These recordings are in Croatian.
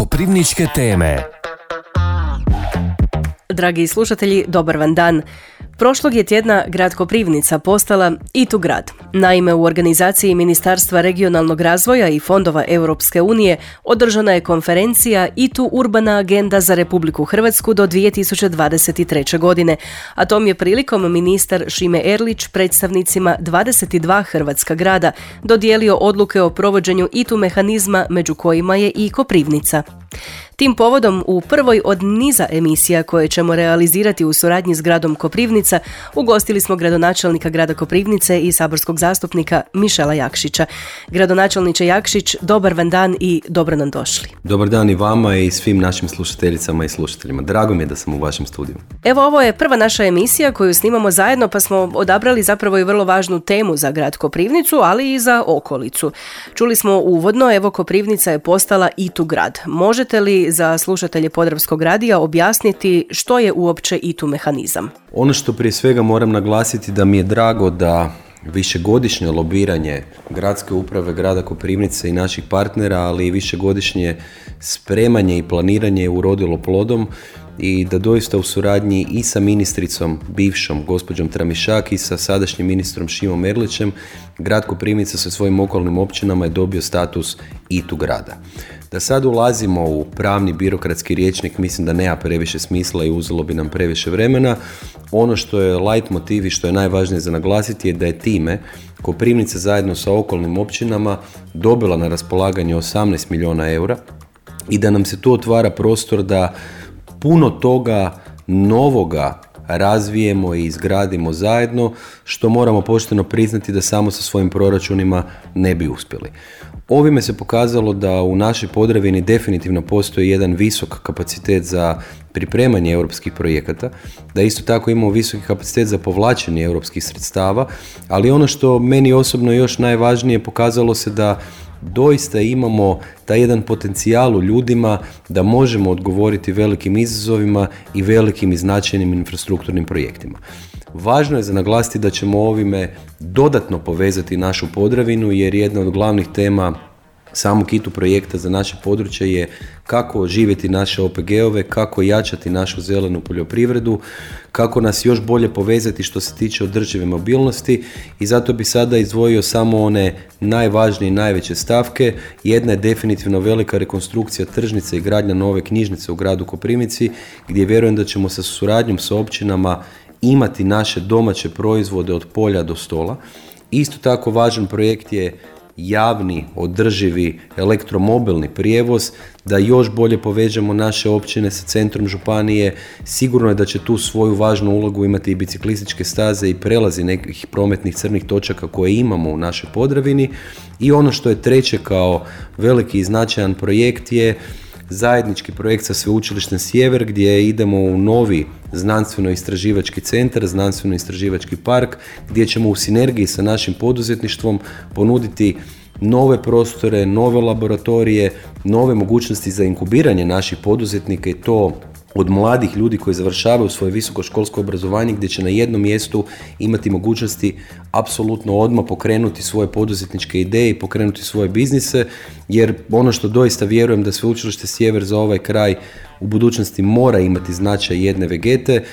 Koprivničke teme. Dragi slušatelji, dobar vam dan. Prošlog je tjedna grad Koprivnica postala ITU grad. Naime, u organizaciji Ministarstva regionalnog razvoja i fondova Europske unije održana je konferencija ITU Urbana agenda za Republiku Hrvatsku do 2023. godine, a tom je prilikom ministar Šime Erlić predstavnicima 22 hrvatska grada dodijelio odluke o provođenju ITU mehanizma, među kojima je i Koprivnica. Tim povodom u prvoj od niza emisija koje ćemo realizirati u suradnji s gradom Koprivnica ugostili smo gradonačelnika grada Koprivnice i saborskog zastupnika Mišela Jakšića. Gradonačelniče Jakšić, dobar vam dan i dobro nam došli. Dobar dan i vama i svim našim slušateljicama i slušateljima. Drago mi je da sam u vašem studiju. Evo, ovo je prva naša emisija koju snimamo zajedno, pa smo odabrali zapravo i vrlo važnu temu za grad Koprivnicu, ali i za okolicu. Čuli smo uvodno, evo, Koprivnica je postala ITU grad. Možete li za slušatelje Podravskog radija objasniti što je uopće ITU mehanizam? Ono što prije svega moram naglasiti da mi je drago da višegodišnje lobiranje gradske uprave grada Koprivnice i naših partnera, ali i višegodišnje spremanje i planiranje je urodilo plodom i da doista u suradnji i sa ministricom bivšom gospođom Tramišak i sa sadašnjim ministrom Šimom Erlićem grad Koprivnica sa svojim okolnim općinama je dobio status ITU grada. Da sad ulazimo u pravni birokratski rječnik mislim da nema previše smisla i uzelo bi nam previše vremena. Ono što je light motiv i što je najvažnije za naglasiti je da je time Koprivnica zajedno sa okolnim općinama dobila na raspolaganje 18 milijuna eura i da nam se tu otvara prostor da puno toga novoga razvijemo i izgradimo zajedno, što moramo pošteno priznati da samo sa svojim proračunima ne bi uspjeli. Ovime se pokazalo da u našoj Podravini definitivno postoji jedan visok kapacitet za pripremanje europskih projekata, da isto tako imamo visoki kapacitet za povlačenje europskih sredstava, ali ono što meni osobno još najvažnije, pokazalo se da doista imamo taj jedan potencijal u ljudima da možemo odgovoriti velikim izazovima i velikim i značajnim infrastrukturnim projektima. Važno je za naglasiti da ćemo ovime dodatno povezati našu Podravinu, jer jedna od glavnih tema samog ITU projekta za naše područje je kako oživjeti naše OPG-ove, kako jačati našu zelenu poljoprivredu, kako nas još bolje povezati što se tiče održive mobilnosti, i zato bi sada izdvojio samo one najvažnije i najveće stavke. Jedna je definitivno velika rekonstrukcija tržnice i gradnja nove knjižnice u gradu Koprivnici, gdje vjerujem da ćemo sa suradnjom sa općinama imati naše domaće proizvode od polja do stola. Isto tako važan projekt je javni, održivi elektromobilni prijevoz, da još bolje povežemo naše općine sa centrom županije. Sigurno je da će tu svoju važnu ulogu imati i biciklističke staze i prelazi nekih prometnih crnih točaka koje imamo u našoj Podravini. I ono što je treće kao veliki i značajan projekt je zajednički projekt sa Sveučilištem Sjever, gdje idemo u novi znanstveno-istraživački centar, znanstveno-istraživački park, gdje ćemo u sinergiji sa našim poduzetništvom ponuditi nove prostore, nove laboratorije, nove mogućnosti za inkubiranje naših poduzetnika, i to od mladih ljudi koji završavaju svoje visokoškolsko obrazovanje, gdje će na jednom mjestu imati mogućnosti apsolutno odmah pokrenuti svoje poduzetničke ideje i pokrenuti svoje biznise, jer ono što doista vjerujem da Sveučilište Sjever za ovaj kraj u budućnosti mora imati značaj jedne Vegete.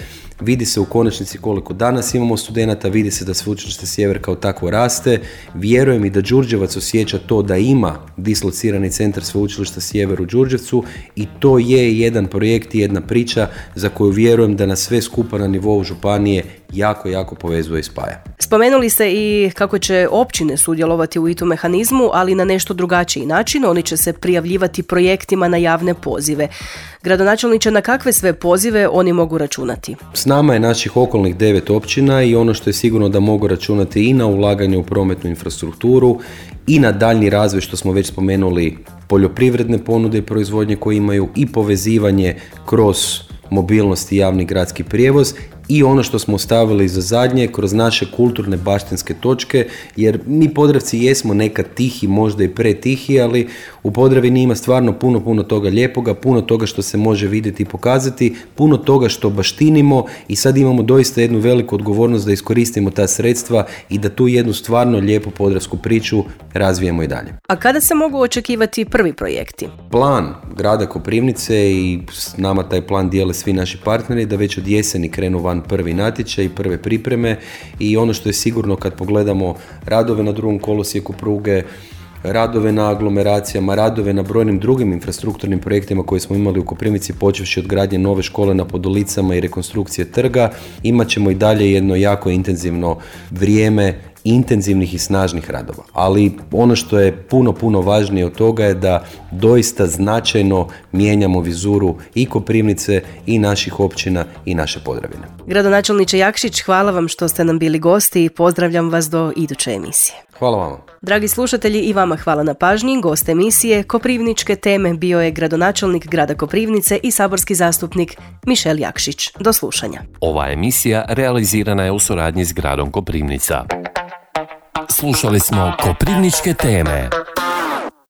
Vidi se u konačnici koliko danas imamo studenata, vidi se da Sveučilište Sjever kao takvo raste. Vjerujem i da Đurđevac osjeća to da ima dislocirani centar Sveučilišta Sjever u Đurđevcu, i to je jedan projekt i jedna priča za koju vjerujem da nas sve skupa na nivou županije jako povezuje i spaja. Spomenuli ste i kako će općine sudjelovati u ITU mehanizmu, ali na nešto drugačiji način. Oni će se prijavljivati projektima na javne pozive. Gradonačelniče, na kakve sve pozive oni mogu računati? S nama je naših okolnih 9 općina i ono što je sigurno da mogu računati i na ulaganje u prometnu infrastrukturu i na daljnji razvoj, što smo već spomenuli, poljoprivredne ponude i proizvodnje koje imaju, i povezivanje kroz mobilnost i javni gradski prijevoz, i ono što smo ostavili za zadnje kroz naše kulturne baštinske točke, jer mi Podravci jesmo nekad tihi, možda i pretihi, ali U Podravini ima stvarno puno toga lijepoga, puno toga što se može vidjeti i pokazati, puno toga što baštinimo i sad imamo doista jednu veliku odgovornost da iskoristimo ta sredstva i da tu jednu stvarno lijepu podravsku priču razvijemo i dalje. A kada se mogu očekivati prvi projekti? Plan grada Koprivnice i s nama taj plan dijele svi naši partneri da već od jeseni krenu van prvi natječaj i prve pripreme i ono što je sigurno kad pogledamo radove na drugom kolosijeku pruge, radove na aglomeracijama, radove na brojnim drugim infrastrukturnim projektima koje smo imali u Koprivnici, počevši od gradnje nove škole na Podolicama i rekonstrukcije trga, imat ćemo i dalje jedno jako intenzivno vrijeme intenzivnih i snažnih radova. Ali ono što je puno važnije od toga je da doista značajno mijenjamo vizuru i Koprivnice i naših općina i naše Podravine. Gradonačelniče Jakšić, hvala vam što ste nam bili gosti i pozdravljam vas do iduće emisije. Hvala vama. Dragi slušatelji, i vama hvala na pažnji. Gost emisije Koprivničke teme bio je gradonačelnik grada Koprivnice i saborski zastupnik Mišel Jakšić. Do slušanja. Ova emisija realizirana je u suradnji s gradom Koprivnica. Slušali smo Koprivničke teme.